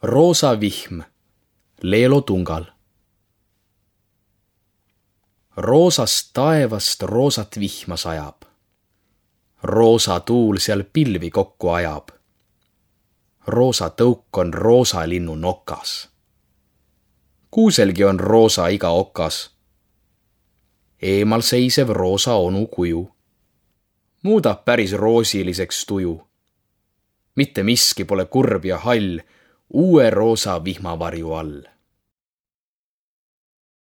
Roosa vihm Leelo Tungal. Roosast taevast roosat vihma sajab. Roosa tuul seal pilvi kokku ajab. Roosa tõuk on roosa linnu nokas. Kuuselgi on roosa iga okas. Eemal seisev roosa onu kuju muudab päris roosiliseks tuju. Mitte miski pole kurb ja hall uue roosa vihmavarju all.